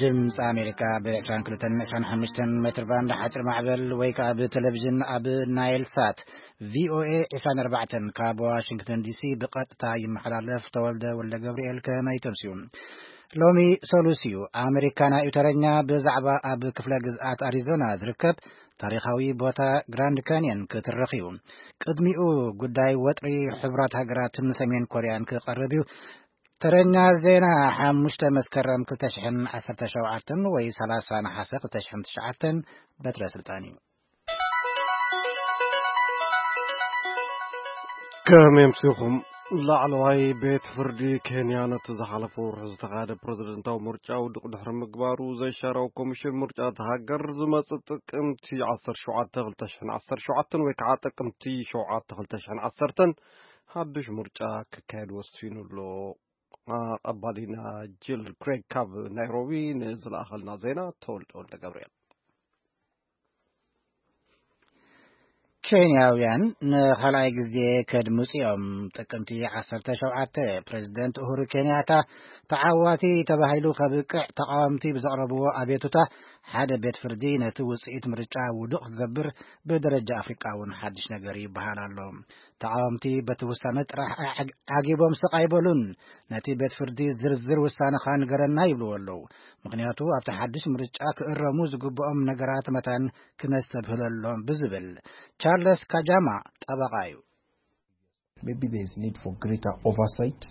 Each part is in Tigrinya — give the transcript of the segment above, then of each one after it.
ድምፂ ኣሜሪካ ብ ዕስራን ክልተን ዕስራን ሓሙሽተን ሜትር ባንድ ሓፂር ማዕበል ወይ ከዓ ብቴሌቪዥን ኣብ ናይል ሳት ቪኦኤ ዕስራን ኣርባዕተን ካብ ዋሽንግተን ዲሲ ብቐጥታ ይመሓላለፍ። ተወልደ ወልደ ገብርኤል ከመይ ተምስዩ? ሎሚ ሰሉስ እዩ። ኣሜሪካና እዩ ተረኛ ብዛዕባ ኣብ ክፍለ ግዝኣት ኣሪዞና ዝርከብ ታሪኻዊ ቦታ ግራንድ ካንየን ክትርኽ እዩ። ቅድሚኡ ጉዳይ ወጥሪ ሕቡራት ሃገራትን ሰሜን ኮርያን ክቐርብ እዩ። ተረኛ ዜና ሓሙሽተ መስከረም ክልተ ሽሕን ዓሰርተ ሸውዓተን ወይ ሰላሳ ነሓሰ ክልተ ሽሕን ትሽዓተን በትረ ስልጣን እዩ። ከመይ ኣምሲኹም። ላዕለዋይ ቤት ፍርዲ ኬንያ ነቲ ዝሓለፈ ወርሒ ዝተኻየደ ፕረዚደንታዊ ምርጫ ውዱቕ ድሕሪ ምግባሩ፣ ዘይሻራዊ ኮሚሽን ምርጫ እቲ ሃገር ዝመጽእ ጥቅምቲ ዓሰርተ ሸውዓተ ክልተ ሽሕን ዓሰርተ ሸውዓተን ወይ ከዓ ጥቅምቲ ሸውዓተ ክልተ ሽሕን ዓሰርተን ሓድሽ ምርጫ ክካየድ ወሲኑ ኣሎ። ኣቐባሊና ጂል ክሬግ ካብ ናይሮቢ ንዝለኣኸልና ዜና። ተወልደ ወልደ ገብርኤል። ኬንያውያን ንኻልኣይ ግዜ ከድምፁ እዮም። ጥቅምቲ ዓሰርተ ሸውዓተ ፕሬዚደንት ኡሁሩ ኬንያታ ተዓዋቲ ተባሂሉ ከብቅዕ ተቃወምቲ ብዘቕረብዎ ኣቤቱታ ሓደ ቤት ፍርዲ ነቲ ውፅኢት ምርጫ ውዱቕ ክገብር ብደረጃ ኣፍሪቃ እውን ሓድሽ ነገር ይበሃል ኣሎ። ተቃወምቲ በቲ ውሳነ ጥራሕ ዓጊቦም ስቕ ኣይበሉን። ነቲ ቤት ፍርዲ ዝርዝር ውሳነኻ ንገረና ይብልዎ ኣለዉ። ምኽንያቱ ኣብቲ ሓድሽ ምርጫ ክእረሙ ዝግብኦም ነገራት መታን ክነስተብህለሎም ብዝብል። ቻርለስ ካጃማ ጠበቓ እዩ። Maybe there is need for greater oversight,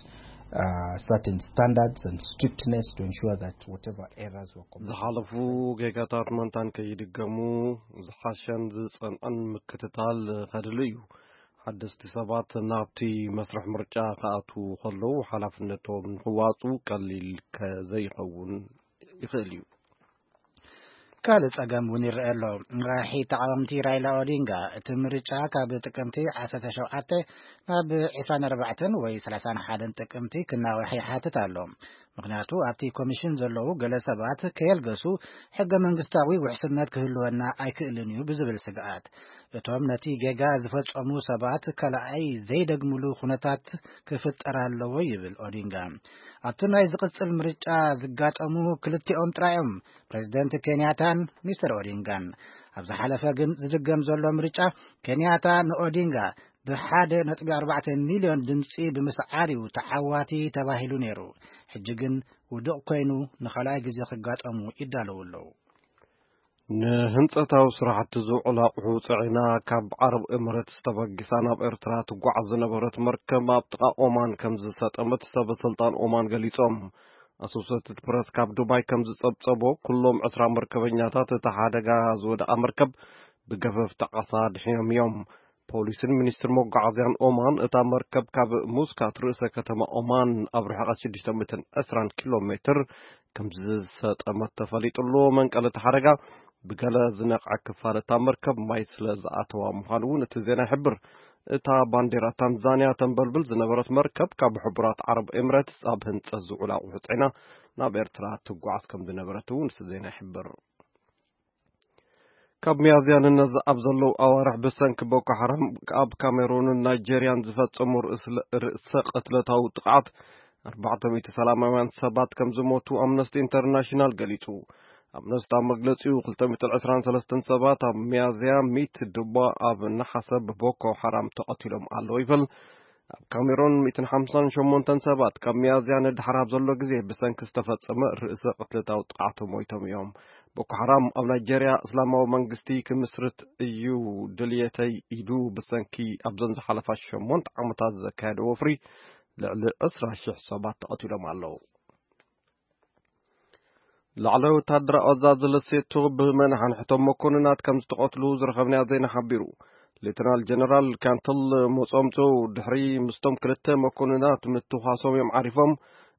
uh, certain standards and strictness to ensure that whatever errors were committed. ዝሓለፉ ጌጋታት መንታን ከይድገሙ ዝሓሸን ዝጸንዐን ምክትታል ከድሊ እዩ። ሓደስቲ ሰባት ናብቲ መስርሕ ምርጫ ክኣትዉ ከለዉ ሓላፍነቶም ንክዋጹ ቀሊል ከዘይኸውን ይኽእል እዩ። ካልእ ጸገም እውን ይረአ ኣሎ። መራሒ ተቃወምቲ ራይላ ኦዲንጋ እቲ ምርጫ ካብ ጥቅምቲ ዓሰርተ ሸውዓተ ናብ ዕስራን ኣርባዕተን ወይ ሰላሳን ሓደን ጥቅምቲ ክናዋሕ ይሓትት ኣሎ። ምኽንያቱ ኣብቲ ኮሚሽን ዘለዉ ገለ ሰባት ከየልገሱ ሕገ መንግስታዊ ውሕስነት ክህልወና ኣይክእልን እዩ ብዝብል ስግኣት። እቶም ነቲ ጌጋ ዝፈጸሙ ሰባት ካልኣይ ዘይደግምሉ ኩነታት ክፍጠር ኣለዎ ይብል ኦዲንጋ። ኣብቲ ናይ ዝቕጽል ምርጫ ዝጋጠሙ ክልቲኦም ጥራዮም ፕሬዚደንት ኬንያታን ሚስተር ኦዲንጋን። ኣብ ዝሓለፈ ግን ዝድገም ዘሎ ምርጫ ኬንያታ ንኦዲንጋ ብሓደ ነጥቢ ኣርባዕተ ሚልዮን ድምፂ ብምስዓር እዩ ተዓዋቲ ተባሂሉ ነይሩ። ሕጂ ግን ውዱቕ ኮይኑ ንኻልኣይ ግዜ ክጋጠሙ ይዳለዉ ኣለዉ። ንህንጸታዊ ስራሕቲ ዝውዕል ኣቑሑ ጽዒና ካብ ዓረብ ኤምሬትስ ተበጊሳ ናብ ኤርትራ ትጓዓዝ ዝነበረት መርከብ ኣብ ጥቓ ኦማን ከም ዝሰጠመት ሰበ ስልጣን ኦማን ገሊጾም። ኣሶሴትድ ፕረስ ካብ ዱባይ ከም ዝጸብጸቦ፣ ኩሎም ዕስራ መርከበኛታት እታ ሓደጋ ዝወደቓ መርከብ ብገፈፍቲ ዓሳ ድሒኖም እዮም። ፖሊስን ሚኒስትሪ መጓዓዝያን ኦማን እታ መርከብ ካብ ሙስካት ርእሰ ከተማ ኦማን ኣብ ርሕቐት ሽዱሽተ ሚእትን ዕስራን ኪሎ ሜትር ከም ዝሰጠመት ተፈሊጡ ኣሎ። መንቀሊ እቲ ሓደጋ ብገለ ዝነቕዐ ክፋል እታ መርከብ ማይ ስለ ዝኣተዋ ምዃኑ እውን እቲ ዜና ይሕብር። እታ ባንዴራ ታንዛንያ ተንበልብል ዝነበረት መርከብ ካብ ሕቡራት ዓረብ ኤምሬትስ ኣብ ህንጸት ዝውዕል ኣቑሑ ጽዒና ናብ ኤርትራ ትጓዓዝ ከም ዝነበረት እውን እቲ ዜና ይሕብር። ካብ ሚያዝያ ንነዚ ኣብ ዘለዉ ኣዋርሕ ብሰንኪ ቦኮ ሓራም ኣብ ካሜሩንን ናይጄርያን ዝፈጸሙ ርእስ- ርእሰ ቅትለታዊ ጥቕዓት ኣርባዕተ ሚእቲ ሰላማውያን ሰባት ከም ዝሞቱ ኣምነስቲ ኢንተርናሽናል ገሊጹ። ኣምነስቲ ኣብ መግለጺኡ ክልተ ሚእትን ዕስራን ሰለስተን ሰባት ኣብ ሚያዝያ ሚት ድማ ኣብ ነሓሰ ብቦኮ ሓራም ተቐቲሎም ኣለዉ ይብል። ኣብ ካሜሮን ሚእትን ሓምሳን ሸሞንተን ሰባት ካብ ሚያዝያ ንድሓር ኣብ ዘሎ ግዜ ብሰንኪ ዝተፈጸመ ርእሰ ቅትለታዊ ጥቕዓት ሞይቶም እዮም። ቦኮ ሓራም ኣብ ናይጄርያ እስላማዊ መንግስቲ ክምስርት እዩ ድልየተይ ኢሉ ብሰንኪ ኣብዘን ዝሓለፋ ሸሞንተ ዓመታት ዘካየደ ወፍሪ ልዕሊ ዕስራ ሽሕ ሰባት ተቐቲሎም ኣለዉ። ላዕለዋይ ወታደራዊ ኣዛዚ ለሴቶ ብመናሓንሕቶም መኮንናት ከም ዝተቐትሉ ዝረኸብናዮ ዜና ሓቢሩ። ሌተናል ጀነራል ካንትል ሞጾምጾ ድሕሪ ምስቶም ክልተ መኮንናት ምትኳሶም እዮም ዓሪፎም።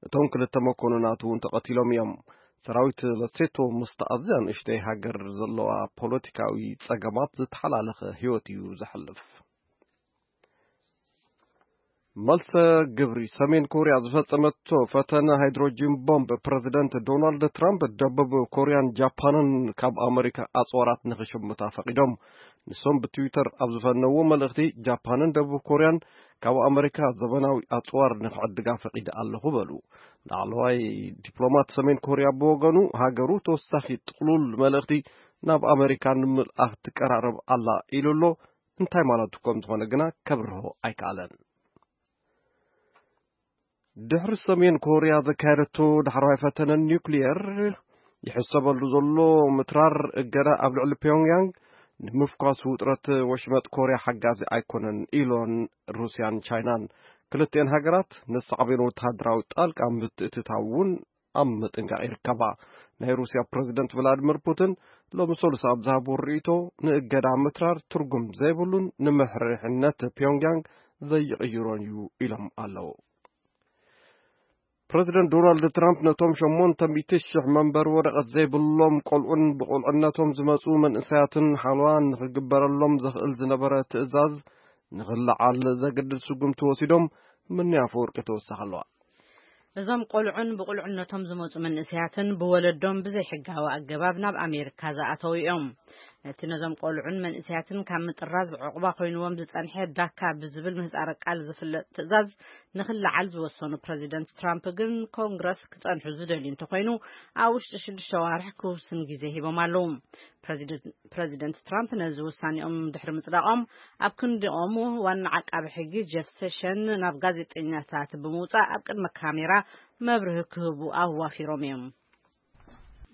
እቶም ክልተ መኮንናት እውን ተቐቲሎም እዮም። ሰራዊት ለሴቶ ምስቲ ኣዝያ ንእሽተይ ሃገር ዘለዋ ፖለቲካዊ ጸገማት ዝተሓላለኸ ህይወት እዩ ዘሕልፍ። መልሰ ግብሪ። ሰሜን ኮርያ ዝፈጸመቶ ፈተነ ሃይድሮጂን ቦምብ ፕረዚደንት ዶናልድ ትራምፕ ደቡብ ኮርያን ጃፓንን ካብ ኣመሪካ ኣጽዋራት ንኽሽምታ ፈቒዶም። ንሶም ብትዊተር ኣብ ዝፈነዎ መልእኽቲ ጃፓንን ደቡብ ኮርያን ካብ ኣመሪካ ዘበናዊ ኣጽዋር ንኽዕድጋ ፈቒደ ኣለኹ በሉ። ላዕለዋይ ዲፕሎማት ሰሜን ኮርያ ብወገኑ፣ ሃገሩ ተወሳኺ ጥቕሉል መልእኽቲ ናብ ኣመሪካ ንምልኣኽ ትቀራረብ ኣላ ኢሉ ኣሎ። እንታይ ማለቱ ከም ዝኾነ ግና ከብርሆ ኣይከኣለን። ድሕሪ ሰሜን ኮርያ ዘካየደቶ ዳሕረዋይ ፈተነ ኒውክሊየር፣ ይሕሰበሉ ዘሎ ምትራር እገዳ ኣብ ልዕሊ ፒዮንግያንግ ንምፍኳስ ውጥረት ወሽመጥ ኮርያ ሓጋዚ ኣይኮነን ኢሎን ሩስያን ቻይናን። ክልቲኤን ሃገራት ንሳዕቤን ወተሃደራዊ ጣልቃ ምትእትታው እውን ኣብ ምጥንቃቕ ይርከባ። ናይ ሩስያ ፕረዚደንት ቭላድሚር ፑቲን ሎሚ ሰሉስ ኣብ ዝሃብዎ ርእይቶ፣ ንእገዳ ምትራር ትርጉም ዘይብሉን ንምሕርሕነት ፒዮንግያንግ ዘይቕይሮን እዩ ኢሎም ኣለዉ። ፕረዚደንት ዶናልድ ትራምፕ ነቶም ሸሞንተ ሚእቲ ሽሕ መንበሪ ወረቐት ዘይብሎም ቆልዑን ብቆልዕነቶም ዝመጹ መንእሰያትን ሓለዋ ንኽግበረሎም ዘኽእል ዝነበረ ትእዛዝ ንኽለዓል ዘገድድ ስጉምቲ ወሲዶም፣ ምንያ ኣፈወርቂ ተወሳኺ ኣለዋ። እዞም ቆልዑን ብቁልዕነቶም ዝመጹ መንእሰያትን ብወለዶም ብዘይሕጋዊ ኣገባብ ናብ ኣሜሪካ ዝኣተዉ እዮም። ነቲ ነዞም ቆልዑን መንእሰያትን ካብ ምጥራዝ ዕቑባ ኮይንዎም ዝጸንሐ ዳካ ብዝብል ምህጻረ ቃል ዝፍለጥ ትእዛዝ ንኽለዓል ዝወሰኑ ፕረዚደንት ትራምፕ ግን፣ ኮንግረስ ክጸንሑ ዝደልዩ እንተኾይኑ፣ ኣብ ውሽጢ ሽዱሽተ ዋርሕ ክውስን ግዜ ሂቦም ኣለዉ። ፕረዚደንት ትራምፕ ነዚ ውሳኔኦም ድሕሪ ምጽዳቖም፣ ኣብ ክንዲኦም ዋና ዓቃቢ ሕጊ ጀፍ ሴሽን ናብ ጋዜጠኛታት ብምውጻእ ኣብ ቅድሚ ካሜራ መብርሂ ክህቡ ኣዋፊሮም እዮም።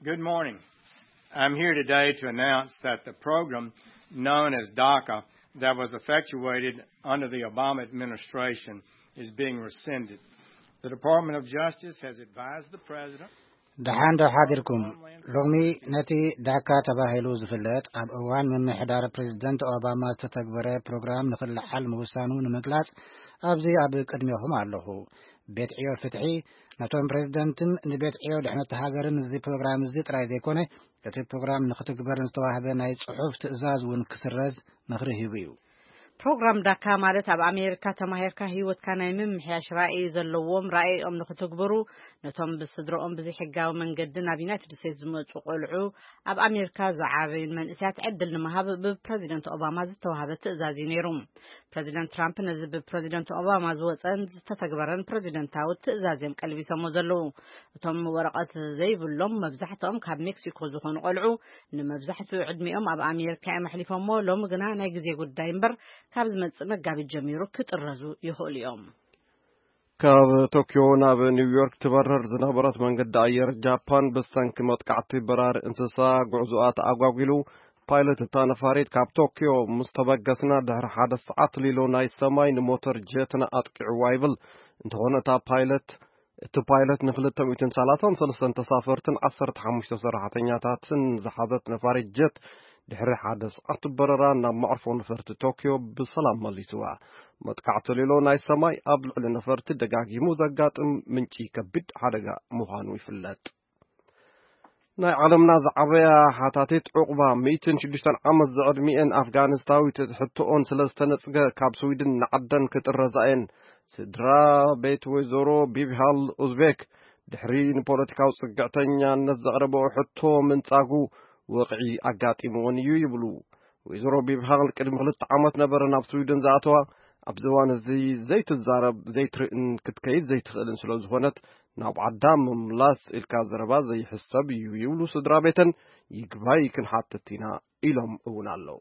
Good morning. I'm here today to announce that the program known as DACA that was effectuated under the Obama administration is being rescinded. The Department of Justice has advised the president. ደሓን ዶ ሓዲርኩም? ሎሚ ነቲ ዳካ ተባሂሉ ዝፍለጥ ኣብ እዋን ምምሕዳር ፕሬዝደንት ኦባማ ዝተተግበረ ፕሮግራም ንኽለዓል ምውሳኑ ንምግላጽ ኣብዚ ኣብ ቅድሜኹም ኣለኹ። ቤት ዕዮ ፍትሒ ነቶም ፕሬዝደንትን ንቤት ዕዮ ድሕነት ሃገርን እዚ ፕሮግራም እዚ ጥራይ ዘይኮነ፣ እቲ ፕሮግራም ንኽትግበርን ዝተዋህበ ናይ ጽሑፍ ትእዛዝ እውን ክስረዝ ምኽሪ ሂቡ እዩ። ፕሮግራም ዳካ ማለት ኣብ ኣሜሪካ ተማሂርካ ህይወትካ ናይ ምምሕያሽ ራእይ ዘለዎም ራእይኦም ንኽትግብሩ፣ ነቶም ብስድረኦም ብዘይሕጋዊ መንገዲ ናብ ዩናይትድ ስቴትስ ዝመጹ ቆልዑ ኣብ ኣሜሪካ ዝዓበዩን መንእሰያት ዕድል ንምሃብ ብፕረዚደንት ኦባማ ዝተዋህበ ትእዛዝ እዩ ነይሩ። ፕረዚደንት ትራምፕ ነዚ ብፕረዚደንት ኦባማ ዝወጸን ዝተተግበረን ፕረዚደንታዊ ትእዛዝ እዮም ቀልቢሶሞ ዘለዉ። እቶም ወረቐት ዘይብሎም መብዛሕትኦም ካብ ሜክሲኮ ዝኾኑ ቆልዑ ንመብዛሕትኡ ዕድሚኦም ኣብ ኣሜሪካ እዮም ኣሕሊፎሞ። ሎሚ ግና ናይ ግዜ ጉዳይ እምበር ካብ ዝመጽእ መጋቢት ጀሚሩ ክጥረዙ ይኽእሉ እዮም። ካብ ቶኪዮ ናብ ኒውዮርክ ትበርር ዝነበረት መንገዲ ኣየር ጃፓን ብሰንኪ መጥቃዕቲ በራሪ እንስሳ ጉዕዞኣ ተኣጓጒሉ፣ ፓይለት እታ ነፋሪት ካብ ቶኪዮ ምስ ተበገስና ድሕሪ ሓደ ሰዓት ሊሎ ናይ ሰማይ ንሞተር ጀትና ኣጥቂዕዋ ይብል። እንተኾነ እታ ፓይለት እቲ ፓይለት ን ክልተ ሚእትን ሰላሳን ሰለስተን ተሳፈርትን ዓሰርተ ሓሙሽተ ሰራሕተኛታትን ዝሓዘት ነፋሪት ጀት ድሕሪ ሓደ ሰዓት በረራ ናብ መዕርፎ ነፈርቲ ቶኪዮ ብሰላም መሊስዋ። መጥቃዕቲ ሊሎ ናይ ሰማይ ኣብ ልዕሊ ነፈርቲ ደጋጊሙ ዘጋጥም ምንጪ ከቢድ ሓደጋ ምዃኑ ይፍለጥ። ናይ ዓለምና ዝዓበያ ሓታቲት ዑቕባ፣ ሚእትን ሽዱሽተን ዓመት ዝዕድሚኤን ኣፍጋኒስታዊት ሕቶኦን ስለ ዝተነጽገ ካብ ስዊድን ንዓደን ክጥረዛ እየን። ስድራ ቤት ወይዘሮ ቢብሃል ኡዝቤክ ድሕሪ ንፖለቲካዊ ጽግዕተኛነት ዘቕረበኦ ሕቶ ምንጻጉ ወቕዒ ኣጋጢምወን እዩ ይብሉ። ወይዘሮ ቢብሃል ቅድሚ ክልተ ዓመት ነበረ ናብ ስዊድን ዝኣተዋ። ኣብዚ እዋን እዚ ዘይትዛረብ፣ ዘይትርእን ክትከይድ ዘይትኽእልን ስለ ዝኾነት ናብ ዓዳ ምምላስ ኢልካ ዘረባ ዘይሕሰብ እዩ ይብሉ ስድራ ቤተን። ይግባይ ክንሓትት ኢና ኢሎም እውን ኣለዉ።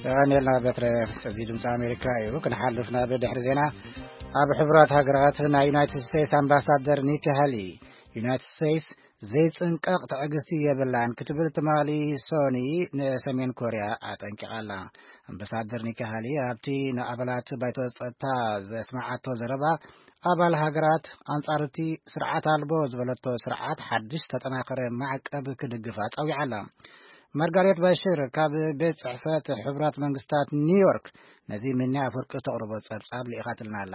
ዳንኤል ናበትረ፣ እዚ ድምፂ ኣሜሪካ እዩ። ክንሓልፍ ናብ ድሕሪ ዜና። ኣብ ሕቡራት ሃገራት ናይ ዩናይትድ ስቴትስ ኣምባሳደር ኒኪ ሃሊ፣ ዩናይትድ ስቴትስ ዘይጽንቀቕ ትዕግስቲ የብላን ክትብል ትማሊ ሶኒ ንሰሜን ኮርያ ኣጠንቂቓ ኣላ። ኣምባሳደር ኒኪ ሃሊ ኣብቲ ንኣባላት ባይቶ ጸጥታ ዘስመዓቶ ዘረባ፣ ኣባል ሃገራት ኣንጻር እቲ ስርዓት ኣልቦ ዝበለቶ ስርዓት ሓድሽ ተጠናኸረ ማዕቀብ ክድግፋ ጸዊዓ ኣላ። ማርጋሬት ባሽር ካብ ቤት ጽሕፈት ሕቡራት መንግስታት ኒውዮርክ ነዚ ምንያ ኣፍወርቂ ተቕርቦ ጸብጻብ ልኢኻትልና ኣላ።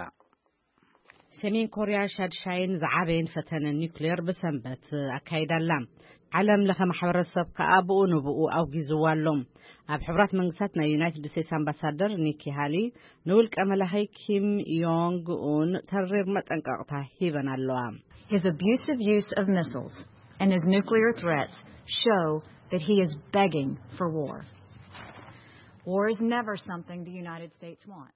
ሰሜን ኮርያ ሻድሻይን ዝዓበየን ፈተነ ኒውክሌር ብሰንበት ኣካይዳ ኣላ። ዓለም ለኸ ማሕበረሰብ ከኣ ብኡ ንብኡ ኣውጊዝዋ ኣሎ። ኣብ ሕቡራት መንግስታት ናይ ዩናይትድ ስቴትስ ኣምባሳደር ኒኪ ሃሊ ንውልቀ መላኺ ኪም ዮንግ ኡን ተሪር መጠንቀቕታ ሂበን ኣለዋ። His abusive use of missiles and his nuclear threats show that he is begging for war. War is never something the United States wants.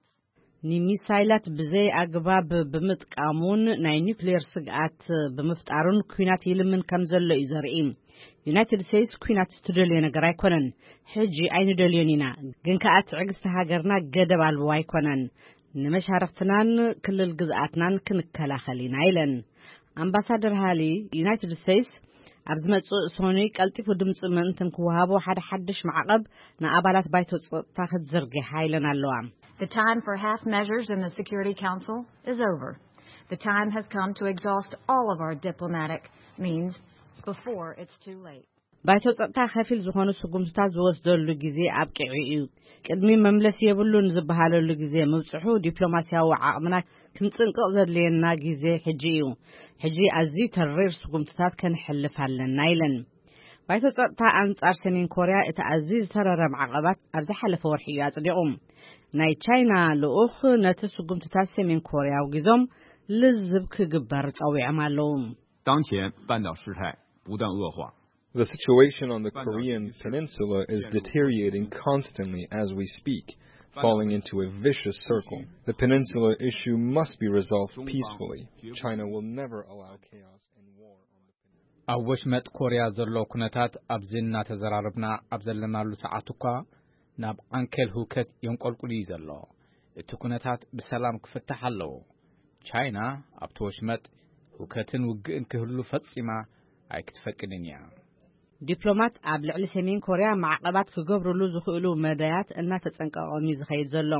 ንሚሳይላት ብዘይ ኣግባብ ብምጥቃሙን ናይ ኒውክሌር ስግኣት ብምፍጣሩን ኲናት ይልምን ከም ዘሎ እዩ ዘርኢ። ዩናይትድ ስቴትስ ኲናት ትደልዮ ነገር ኣይኮነን። ሕጂ ኣይንደልዮን ኢና፣ ግን ከኣ ትዕግስቲ ሃገርና ገደብ ኣልቦ ኣይኮነን። ንመሻርኽትናን ክልል ግዝኣትናን ክንከላኸል ኢና ኢለን። ኣምባሳደር ሃሊ፣ ዩናይትድ ስቴትስ ኣብ ዝመጽእ ሰኑይ ቀልጢፉ ድምጺ ምእንትን ክወሃቦ ሓደ ሓድሽ ማዕቐብ ንኣባላት ባይቶ ጸጥታ ክትዝርግሕ ሓይለን ኣለዋ። The time for half measures in the Security Council is over. The time has come to exhaust all of our diplomatic means before it's too late. ባይቶ ጸጥታ ከፊል ዝኾኑ ስጉምትታት ዝወስደሉ ግዜ ኣብቂዑ እዩ። ቅድሚ መምለሲ የብሉን ዝበሃለሉ ግዜ ምብጽሑ ዲፕሎማስያዊ ዓቕምና ክንጽንቅቕ ዘድልየና ግዜ ሕጂ እዩ። ሕጂ ኣዝዩ ተሪር ስጉምትታት ከንሕልፍ ኣለና ኢለን። ባይቶ ጸጥታ ኣንጻር ሰሜን ኮርያ እቲ ኣዝዩ ዝተረረ ማዕቐባት ኣብ ዝሓለፈ ወርሒ እዩ ኣጽዲቑ። ናይ ቻይና ልኡኽ ነቲ ስጉምትታት ሰሜን ኮርያ ኣውጊዞም ልዝብ ክግበር ጸዊዖም ኣለዉ። 当前半岛事态不断恶化。 The situation on the Korean peninsula is deteriorating constantly as we speak, falling into a vicious circle. The peninsula issue must be resolved peacefully. China will never allow chaos and war on the peninsula. ኣብ ወሽመጥ ኮርያ ዘሎ ኩነታት ኣብዚ እናተዘራረብና ኣብ ዘለናሉ ሰዓት እኳ ናብ ዓንኬል ህውከት የንቆልቁል እዩ ዘሎ። እቲ ኩነታት ብሰላም ክፍታሕ ኣለዎ። ቻይና ኣብቲ ወሽመጥ ህውከትን ውግእን ክህሉ ፈጺማ ኣይክትፈቅድን እያ። ዲፕሎማት ኣብ ልዕሊ ሰሜን ኮርያ ማዕቐባት ክገብርሉ ዝኽእሉ መዳያት እናተጸንቀቖም እዩ ዝኸይድ ዘሎ።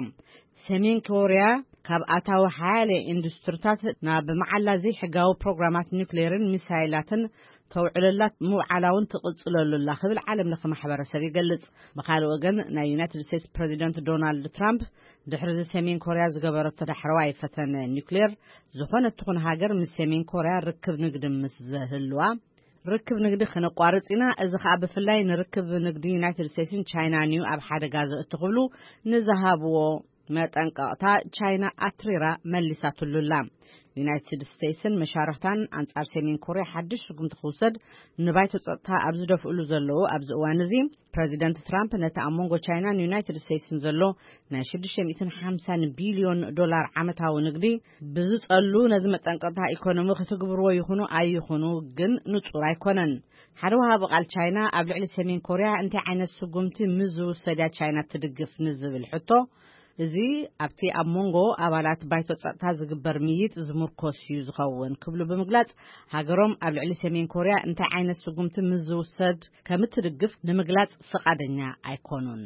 ሰሜን ኮርያ ካብ ኣታዊ ሓያለ ኢንዱስትሪታት ናብ መዓላ ዘይሕጋዊ ፕሮግራማት ኒውክሌርን ሚሳይላትን ተውዕለላ ምውዓላ እውን ትቕጽለሉ ኣላ ክብል ዓለም ለኸ ማሕበረሰብ ይገልጽ። ብኻልእ ወገን ናይ ዩናይትድ ስቴትስ ፕሬዚደንት ዶናልድ ትራምፕ ድሕሪ እዚ ሰሜን ኮርያ ዝገበረቶ ዳሕረዋይ ፈተነ ኒውክሌር ዝኾነት ትኹን ሃገር ምስ ሰሜን ኮርያ ርክብ ንግዲ ምስ ዘህልዋ ርክብ ንግዲ ክነቋርጽ ኢና፣ እዚ ኸኣ ብፍላይ ንርክብ ንግዲ ዩናይትድ ስቴትስን ቻይናን እዩ ኣብ ሓደጋ ዘእቱ ክብሉ ንዝሃብዎ መጠንቀቕታ ቻይና ኣትሪራ መሊሳትሉ ኣላ። ዩናይትድ ስቴትስን መሻርኽታን ኣንጻር ሰሜን ኮርያ ሓድሽ ስጉምቲ ክውሰድ ንባይቶ ጸጥታ ኣብ ዝደፍእሉ ዘለዉ ኣብዚ እዋን እዚ ፕረዚደንት ትራምፕ ነቲ ኣብ መንጎ ቻይናን ዩናይትድ ስቴትስን ዘሎ ናይ ሽዱሽተ ሚእትን ሓምሳን ቢልዮን ዶላር ዓመታዊ ንግዲ ብዝጸሉ ነዚ መጠንቀቕታ ኢኮኖሚ ክትግብርዎ ይኹኑ ኣይኹኑ ግን ንጹር ኣይኮነን። ሓደ ወሃቢ ቃል ቻይና ኣብ ልዕሊ ሰሜን ኮርያ እንታይ ዓይነት ስጉምቲ ምስ ዝውሰድ እያ ቻይና ትድግፍ ንዝብል ሕቶ፣ እዚ ኣብቲ ኣብ መንጎ ኣባላት ባይቶ ጸጥታ ዝግበር ምይይጥ ዝምርኮስ እዩ ዝኸውን ክብሉ ብምግላጽ፣ ሃገሮም ኣብ ልዕሊ ሰሜን ኮርያ እንታይ ዓይነት ስጉምቲ ምስ ዝውሰድ ከም እትድግፍ ንምግላጽ ፍቓደኛ ኣይኮኑን።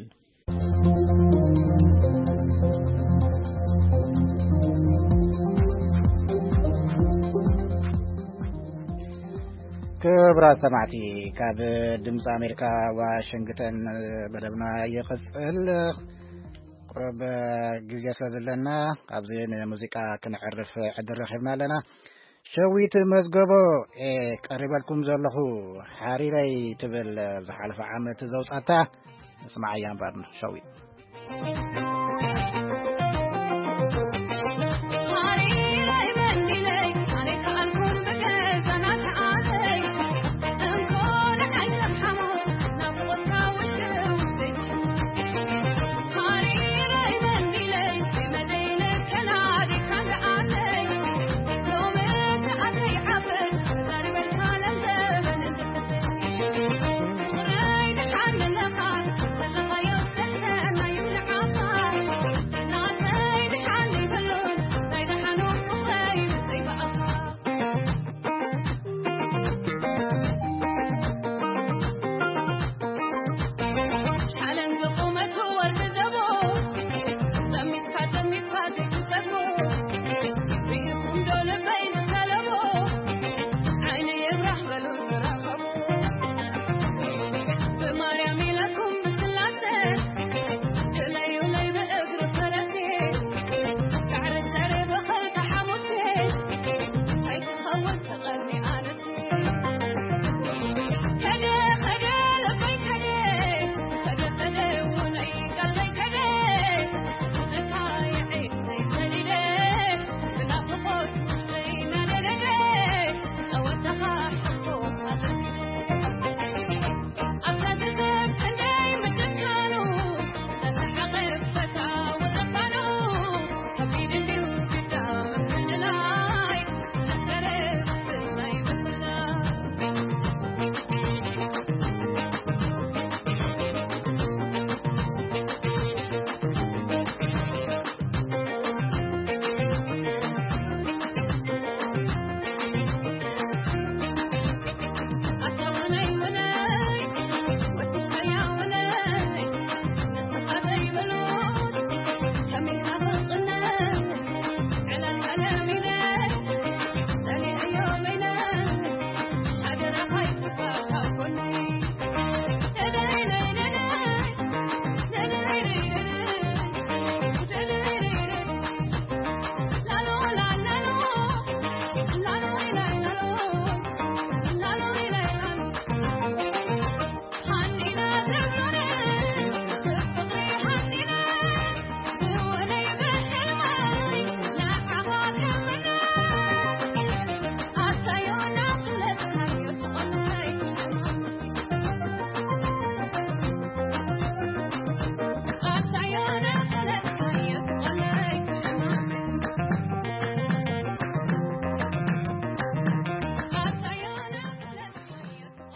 ክብራት ሰማዕቲ፣ ካብ ድምፂ ኣሜሪካ ዋሽንግተን መደብና ይቕፅል። ቁሩብ ግዜ ስለ ዘለና ኣብዚ ንሙዚቃ ክነዕርፍ ዕድል ረኺብና ኣለና። ሸዊት መዝገቦ እየ ቀሪበልኩም ዘለኹ። ሓሪረይ ትብል ዝሓለፈ ዓመት ዘውፃታ ንስማዓያ እምበር ሸዊት።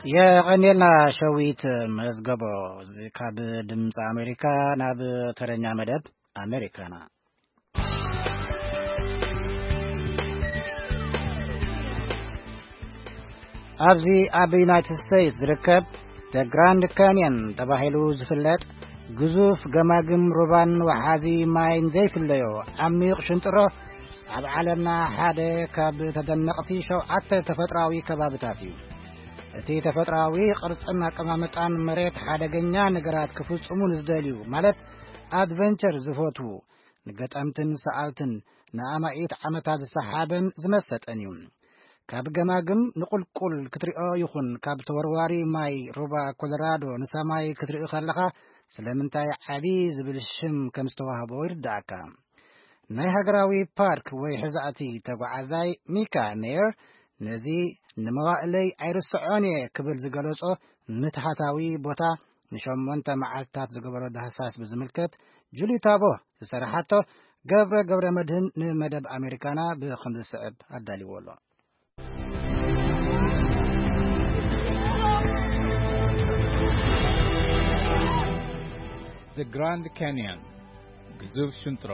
የቐኔልና ሸዊት መዝገቦ። እዚ ካብ ድምፂ ኣሜሪካ ናብ ተረኛ መደብ ኣሜሪካና። ኣብዚ ኣብ ዩናይትድ ስቴትስ ዝርከብ ደ ግራንድ ካንየን ተባሂሉ ዝፍለጥ ግዙፍ ገማግም ሩባን ወሓዚ ማይን ዘይፍለዮ ዓሚቕ ሽንጥሮ፣ ኣብ ዓለምና ሓደ ካብ ተደነቕቲ ሸውዓተ ተፈጥሮኣዊ ከባብታት እዩ። እቲ ተፈጥሮኣዊ ቅርጽን ኣቀማምጣን መሬት ሓደገኛ ነገራት ክፍጽሙ ንዝደልዩ፣ ማለት ኣድቨንቸር ዝፈትዉ፣ ንገጠምትን ሰኣልትን ንኣማኢት ዓመታት ዝሰሓበን ዝመሰጠን እዩ። ካብ ገማግም ንቁልቁል ክትሪኦ ይኹን ካብ ተወርዋሪ ማይ ሩባ ኮሎራዶ ንሰማይ ክትርኢ ከለኻ ስለምንታይ ዓቢ ዝብል ሽም ከም ዝተዋህቦ ይርዳእካ። ናይ ሃገራዊ ፓርክ ወይ ሕዛእቲ ተጓዓዛይ ሚካ ሜየር ነዚ ንመዋእለይ ኣይርስዖን እየ ክብል ዝገለጾ ምትሃታዊ ቦታ ንሸሞንተ መዓልታት ዝገበሮ ዳህሳስ ብዝምልከት ጁሊ ታቦ ዝሰራሓቶ ገብረ ገብረ መድህን ንመደብ ኣሜሪካና ብኸም ዝስዕብ ኣዳልዎ ኣሎ። The Grand Canyon፣ ግዙፍ ሽንጥሮ።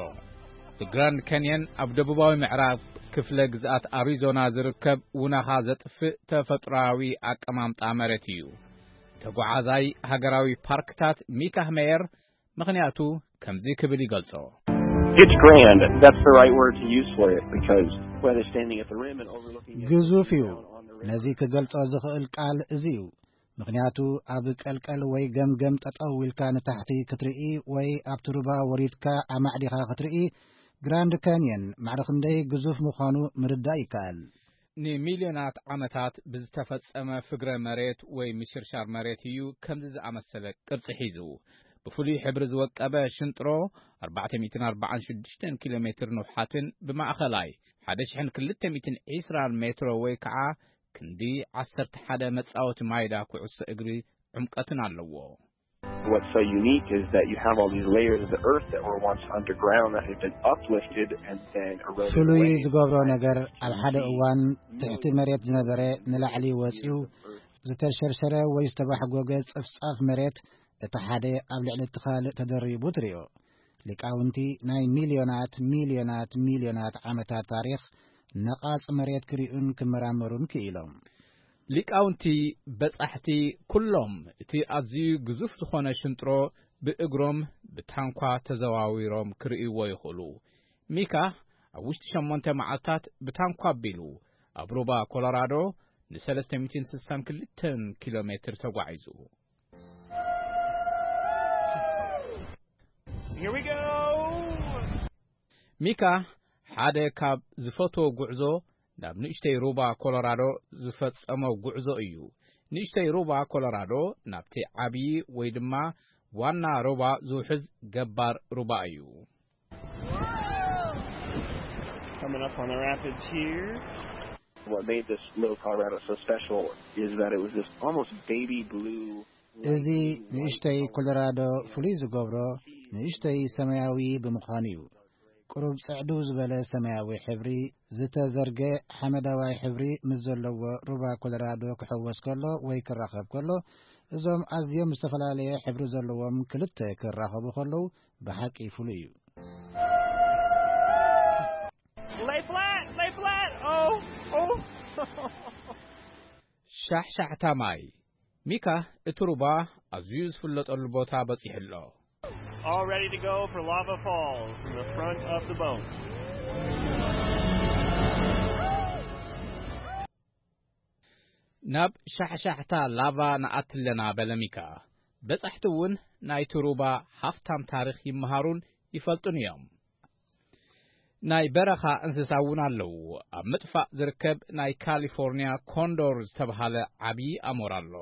The Grand Canyon ኣብ ደቡባዊ ምዕራብ ክፍለ ግዝኣት ኣሪዞና ዝርከብ ውናኻ ዘጥፍእ ተፈጥሮኣዊ ኣቀማምጣ መሬት እዩ። ተጓዓዛይ ሃገራዊ ፓርክታት ሚካህ ሜየር ምኽንያቱ ከምዚ ክብል ይገልጾ። It's grand. That's the right word to use for it because whether standing at the rim and overlooking it, ግዙፍ እዩ። ነዚ ክገልጾ ዝኽእል ቃል እዚ እዩ። ምኽንያቱ ኣብ ቀልቀል ወይ ገምገም ጠጠው ኢልካ ንታሕቲ ክትርኢ ወይ ኣብቲ ሩባ ወሪድካ ኣማዕዲኻ ክትርኢ ግራንድ ካንየን ማዕረ ክንደይ ግዙፍ ምዃኑ ምርዳእ ይከኣል። ንሚልዮናት ዓመታት ብዝተፈጸመ ፍግረ መሬት ወይ ምሽርሻር መሬት እዩ ከምዚ ዝኣመሰለ ቅርጺ ሒዙ። ብፍሉይ ሕብሪ ዝወቀበ ሽንጥሮ ኣርባዕተ ሚእትን ኣርባዓን ሽዱሽተን ኪሎ ሜትር ንውሓትን ብማእኸላይ ሓደ ሽሕን ክልተ ሚእትን ዕስራን ሜትሮ ወይ ከዓ ክንዲ ዓሰርተ ሓደ መጻወቲ ማይዳ ኩዕሶ እግሪ ዕምቀትን ኣለዎ። What's so unique is that you have all these layers of the earth that were once underground that had been uplifted and then eroded ፍሉይ away. ዝገብሮ ነገር ኣብ ሓደ እዋን ትሕቲ መሬት ዝነበረ ንላዕሊ ወፂኡ ዝተሸርሸረ ወይ ዝተባሕጎገ ጸፍጻፍ መሬት እቲ ሓደ ኣብ ልዕሊ እቲ ካልእ ተደሪቡ ትሪኦ። ሊቃውንቲ ናይ ሚልዮናት ሚልዮናት ሚልዮናት ዓመታት ታሪኽ ነቓጽ መሬት ክሪኡን ክመራመሩን ክኢሎም። ሊቃውንቲ በጻሕቲ ኩሎም እቲ ኣዝዩ ግዙፍ ዝኾነ ሽንጥሮ ብእግሮም ብታንኳ ተዘዋዊሮም ክርእይዎ ይኽእሉ። ሚካ ኣብ ውሽጢ ሸሞንተ መዓልታት ብታንኳ ኣቢሉ ኣብ ሩባ ኮሎራዶ ንሰለስተ ሚእትን ስሳን ክልተን ኪሎ ሜትር ተጓዒዙ። Here we go. ሚካ ሓደ ካብ ዝፈትዎ ጉዕዞ ናብ ንእሽተይ ሩባ ኮሎራዶ ዝፈጸሞ ጉዕዞ እዩ። ንእሽተይ ሩባ ኮሎራዶ ናብቲ ዓብዪ ወይ ድማ ዋና ሩባ ዝውሕዝ ገባር ሩባ እዩ። Coming up on the rapids here. What made this little Colorado so special is that it was this almost baby blue. እዚ ንእሽተይ ኮሎራዶ ፍሉይ ዝገብሮ ንእሽተይ ሰማያዊ ብምዃኑ እዩ። ቁሩብ ጽዕዱ ዝበለ ሰማያዊ ሕብሪ፣ ዝተዘርገ ሓመዳዋይ ሕብሪ ምስ ዘለዎ ሩባ ኮሎራዶ ክሕወስ ከሎ ወይ ክራኸብ ከሎ፣ እዞም ኣዝዮም ዝተፈላለየ ሕብሪ ዘለዎም ክልተ ክራኸቡ ከለዉ ብሓቂ ፍሉይ እዩ። Lay flat, lay flat. Oh, oh. ሻሕሻሕታ ማይ። ሚካ እቲ ሩባ ኣዝዩ ዝፍለጠሉ ቦታ በጺሑ ኣሎ። All ready to go for lava falls in the front of the boat. ናብ ሻሕሻሕታ ላቫ ንኣትለና በለ ሚካ። በጻሕቲ እውን ናይቲ ሩባ ሃፍታም ታሪኽ ይመሃሩን ይፈልጡን እዮም። ናይ በረኻ እንስሳ እውን ኣለዉ። ኣብ ምጥፋእ ዝርከብ ናይ ካሊፎርኒያ ኮንዶር ዝተብሃለ ዓብዪ ኣሞራ ኣሎ።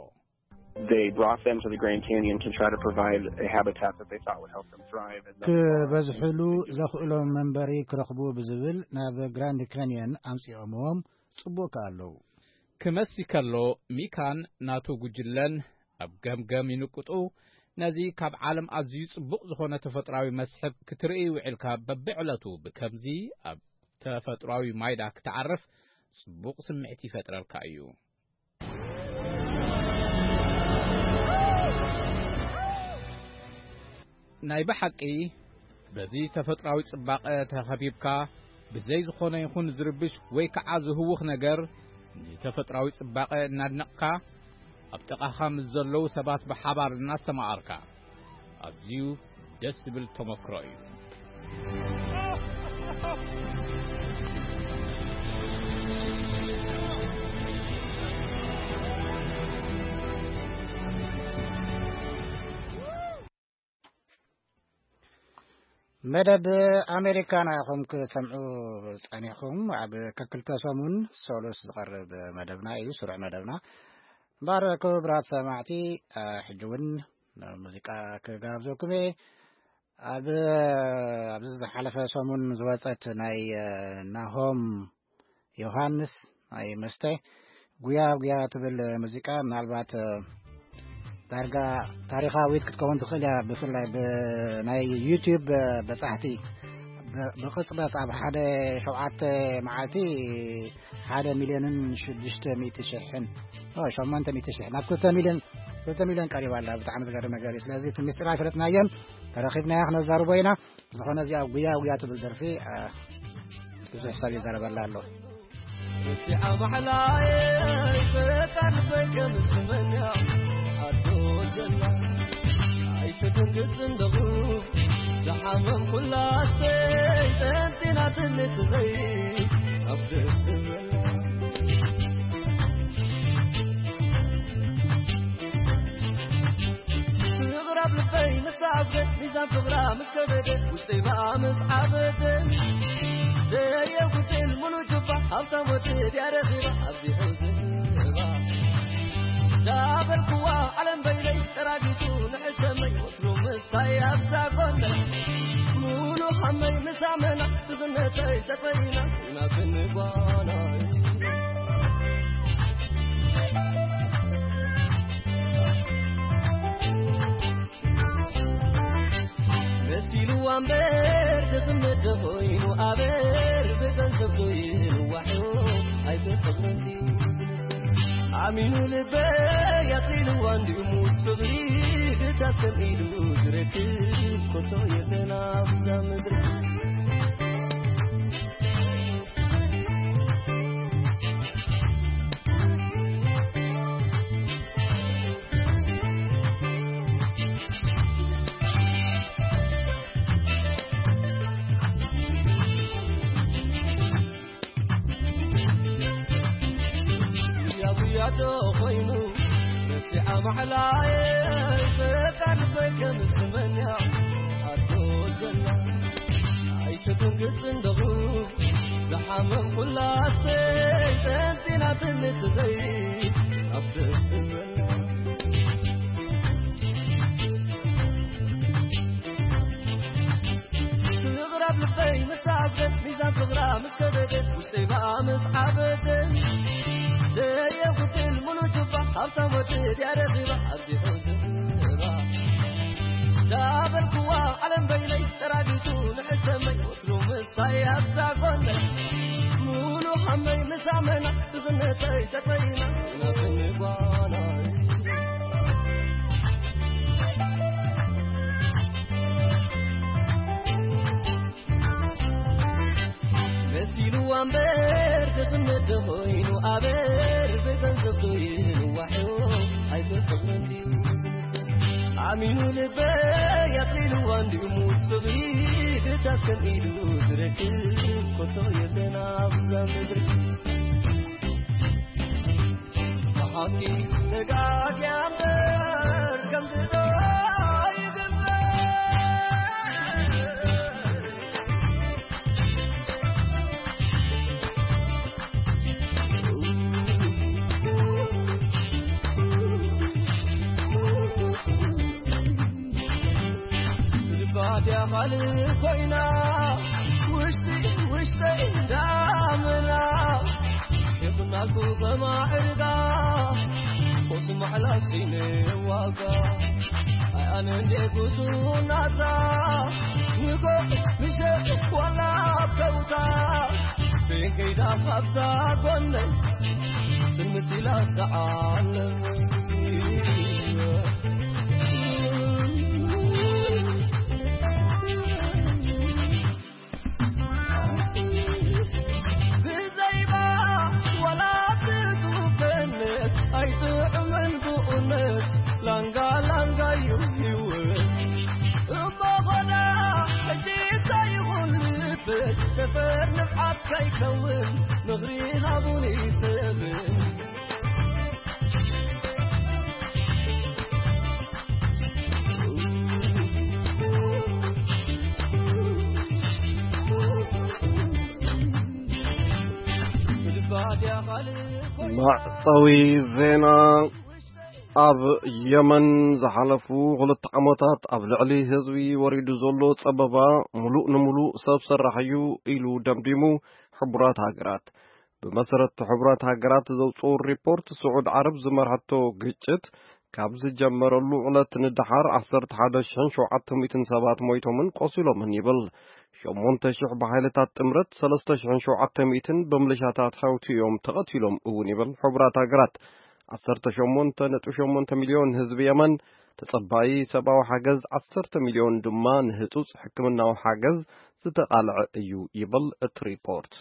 They brought them to the Grand Canyon to try to provide a habitat that they thought would help them thrive. And thus far, ክበዝሕሉ ዘኽእሎም መንበሪ ክረኽቡ ብዝብል ናብ ግራንድ ካንየን ኣምጺኦምዎም ጽቡቕ ከኣለዉ። ክመሲ ከሎ ሚካን ናቱ ጉጅለን ኣብ ገምገም ይንቅጡ። ነዚ ካብ ዓለም ኣዝዩ ጽቡቕ ዝኾነ ተፈጥራዊ መስሕብ ክትርኢ ውዒልካ በብዕለቱ ብከምዚ ኣብ ተፈጥራዊ ማይዳ ክትዓርፍ ጽቡቕ ስምዒት ይፈጥረልካ እዩ። ናይ ብሓቂ በዚ ተፈጥራዊ ጽባቐ ተኸቢብካ፣ ብዘይ ዝኾነ ይኹን ዝርብሽ ወይ ከዓ ዝህውኽ ነገር፣ ንተፈጥራዊ ጽባቐ እናድነቕካ፣ ኣብ ጥቓኻ ምስ ዘለዉ ሰባት ብሓባር እናስተማቐርካ፣ ኣዝዩ ደስ ዝብል ተመክሮ እዩ። መደብ ኣሜሪካና ኢኹም ክሰምዑ ጸኒሕኩም። ኣብ ከክልተ ሰሙን ሰሉስ ዝቐርብ መደብና እዩ፣ ስሩዕ መደብና። እምበኣር ክቡራት ሰማዕቲ፣ እ፣ ሕጂ እውን ሙዚቃ ክጋብዘኩም እየ። ኣብ፣ ኣብዚ ዝሓለፈ ሰሙን ዝወጸት ናይ፣ እ፣ ናሆም ዮሃንስ ናይ መስተ ጉያ ጉያ ትብል ሙዚቃ፣ ምናልባት፣ እ፣ ዳርጋ ታሪኻዊት ክትከውን ትኽእል እያ። ብፍላይ ብ-፣ ናይ ዩቲዩብ፣ እ፣ በጻሕቲ ብ-፣ ብቕጽበት ኣብ ሓደ ሸውዓተ መዓልቲ ሓደ ሚልዮንን ሽዱሽተ ሚእቲ ሽሕን፣ ኦ፣ ሸሞንተ ሚእቲ ሽሕ ናብ ክልተ ሚልዮን፣ ክልተ ሚልዮን ቀሪባ ኣላ። ብጣዕሚ ዝገርም ነገር እዩ። ስለዚ እቲ ምስጢር ኣይፈለጥናዮን፣ ተረኺብናያ ክነዛርቦ ኢና። ዝኾነ እዚኣ ጉያ ጉያ ትብል ደርፊ፣ እ፣ ብዙሕ ሰብ ይዛረበላ ኣሎ። እስቲ ኣማሕላይ ፈቃድ በከም ትመንያ ኣዶ ዘላ ኣይትደንግጽ እንደኹ ዝሓመም ኩላተይ ጠንጢና ትንትዘይ ኣብ ደስ ትብል ፍቕራ ኣብ ልበይ ምስ ተኣዝዘ፣ ሚዛን ፍቕራ ምስ ከበደ፣ ውሽጠይ ብኣ ምስ ዓበደ፣ ዘየጉድል ሙሉ ጁባ፣ ሃብታም ወዲ ድያ ረኺባ፣ ኣብዚ ሕዝባ። ዳበልኩዋ ዓለም በይነይ፣ ጠራጊቱ ንሕሰመይ፣ ወትሩ ምሳይ ኣብዛ ጎነይ። ሙሉ ሃመይ ምስ ኣመና፣ ድኽነተይ ተጸይና፣ ኢና ክንጓናይ። መሲልዋ እምበር ድኽነት ዶ ኮይኑ ኣበር ብገንዘብ ዶ ይንዋሑ ኣይተኸብረን ድዩ? ኣሚኑ ልበይ ኣኽሊልዋ እንድዩ ምስ ፍቕሪ ድታሰብ ኢሉ ዝረክብ ኮቶ የለን ኣብዛ ምድሪ። ጉያ ጉያ ዶ ኮይኑ ረሲዓ ማሕላየ ፈቃድ በይ ከም ስመንያ ኣዶ ዘላ ኣይትትንግጽ እንደኹ ዝሓመም ኩላተይ ጠንጢና ትንትዘይ ኣብ ደስ ዝበላ ፍቕራ ኣብ ልበይ ምስ ተኣዘ፣ ሚዛን ፍቕራ ምስ ከበደ፣ ውሽጠይ ብኣ ምስ ዓበደ፣ ዘየጉድል ሙሉ ጁባ፣ ሃብታም ወዲ ድያ ረኺባ፣ ኣብዚ ሕዝባ። ዳበልኩዋ ዓለም በይነይ፣ ጠራጊቱ ንሕሰመይ፣ ወትሩ ምሳይ ኣብዛ ጎነይ፣ ሙሉ ሃመይ ምስ ኣመና፣ ድኽነተይ ተጸይና፣ ኢና ክንጓናይ። መሲልዋ እምበር ድኽነት ዶ ኮይኑ ኣበር ብገንዘብ ዶ ይንዋሑ ኣይተፈቕረን ድዩ ኣሚኑ ልበይ ኣቕሊልዋ እንድዩ ሙት ፍቕሪ ድታት ከም ኢዱ ዝረክብ ኮቶ የለን ኣብዛ ምድሪ ብሓቂ ተጋግያ እምበር ከምዚ ዶ ይግበር ልባትያ ካልእ ኮይና ውሽጢ ውሽጠይ እንዳመና ይኹናልኩ በማዕርጋ ቁስ ማዕላስ ዋጋ ኣይ ኣነ እንዴ ብዙ ናታ ንጎ ምሸት ዋላ ከውታ ቤን ከይዳ ካብዛ ጎነይ ስምት ኢላ ትዓለመይ ነበር ንብዓት ከይከውን ምኽሪ ሃቡኒ ሰብ። መዕጸዊ ዜና። ኣብ የመን ዝሓለፉ ክልተ ዓመታት ኣብ ልዕሊ ህዝቢ ወሪዱ ዘሎ ጸበባ ምሉእ ንምሉእ ሰብ ሰራሕ እዩ ኢሉ ደምዲሙ ሕቡራት ሃገራት። ብመሰረት ሕቡራት ሃገራት ዘውፅኡ ሪፖርት፣ ስዑድ ዓረብ ዝመርሐቶ ግጭት ካብ ዝጀመረሉ ዕለት ንደሓር ዓሰርተ ሓደ ሽሕን ሸውዓተ ሚእትን ሰባት ሞይቶምን ቆሲሎምን ይብል። ሸሞንተ ሽሕ ብሓይልታት ጥምረት፣ ሰለስተ ሽሕን ሸውዓተ ሚእትን ብምልሻታት ሓውቲ እዮም ተቐቲሎም እውን ይብል ሕቡራት ሃገራት። ዓሰርተ ሸሞንተ ነጥቢ ሸሞንተ ሚልዮን ህዝቢ የመን ተጸባዪ ሰብኣዊ ሓገዝ፣ ዓሰርተ ሚልዮን ድማ ንህጹጽ ሕክምናዊ ሓገዝ ዝተቓልዐ እዩ ይብል እቲ ሪፖርት።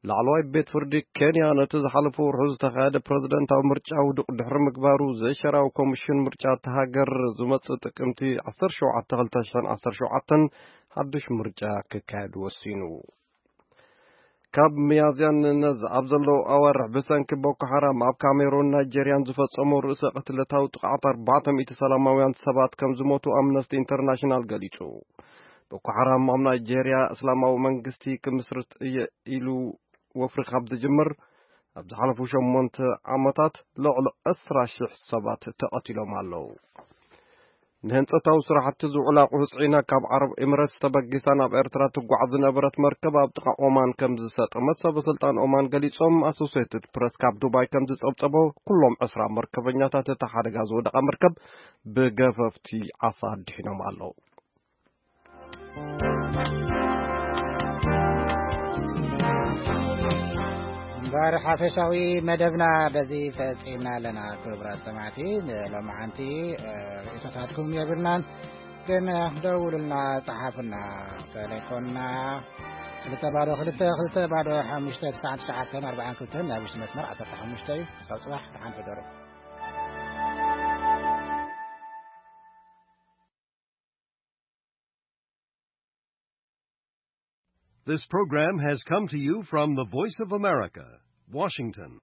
ላዕለዋይ ቤት ፍርዲ ኬንያ ነቲ ዝሓለፈ ወርሒ ዝተኻየደ ፕረዚደንታዊ ምርጫ ውዱቕ ድሕሪ ምግባሩ፣ ዘይሸራዊ ኮሚሽን ምርጫ እታ ሃገር ዝመጽእ ጥቅምቲ ዓሰርተ ሸውዓተ ክልተ ሽሕን ዓሰርተ ሸውዓተን ሓድሽ ምርጫ ክካየድ ወሲኑ። ካብ ሚያዝያ ንነዝ ኣብ ዘለዉ ኣዋርሕ ብሰንኪ ቦኮ ሓራም ኣብ ካሜሩን ናይጄርያን ዝፈጸሞ ርእሰ ቅትለታዊ ጥቕዓት ኣርባዕተ ሚእቲ ሰላማውያን ሰባት ከም ዝሞቱ ኣምነስቲ ኢንተርናሽናል ገሊጹ። ቦኮ ሓራም ኣብ ናይጄርያ እስላማዊ መንግስቲ ክምስርት እየ ኢሉ ወፍሪ ካብ ዝጅምር ኣብ ዝሓለፉ ሸሞንተ ዓመታት ልዕሊ ዕስራ ሽሕ ሰባት ተቐቲሎም ኣለዉ። ንህንጸታዊ ስራሕቲ ዝውዕል ኣቑሑ ጽዒና ካብ ዓረብ ኤምሬትስ ተበጊሳ ናብ ኤርትራ ትጓዓዝ ዝነበረት መርከብ ኣብ ጥቓ ኦማን ከም ዝሰጠመት ሰበ ስልጣን ኦማን ገሊጾም። ኣሶሴትድ ፕረስ ካብ ዱባይ ከም ዝጸብጸቦ፣ ኩሎም ዕስራ መርከበኛታት እታ ሓደጋ ዝወደቓ መርከብ ብገፈፍቲ ዓሳ ኣድሒኖም ኣለዉ። እምበር ሓፈሻዊ መደብና በዚ ፈጺምና ኣለና። ክቡራት ሰማዕቲ፣ ንሎማዓንቲ፣ እ፣ ርእይቶታትኩም የብልናን፣ ግን ደውሉልና፣ ጸሓፉና። ተሌፎንና ክልተ ባዶ ክልተ ክልተ ባዶ ሓሙሽተ ትስዓን ትሽዓተን ኣርባዓን ክልተን፣ ናይ ውሽጢ መስመር ዓሰርተ ሓሙሽተ እዩ። ክሳብ ጽባሕ፣ ደሓን ሕደሩ። This program has come to you from the Voice of America, Washington.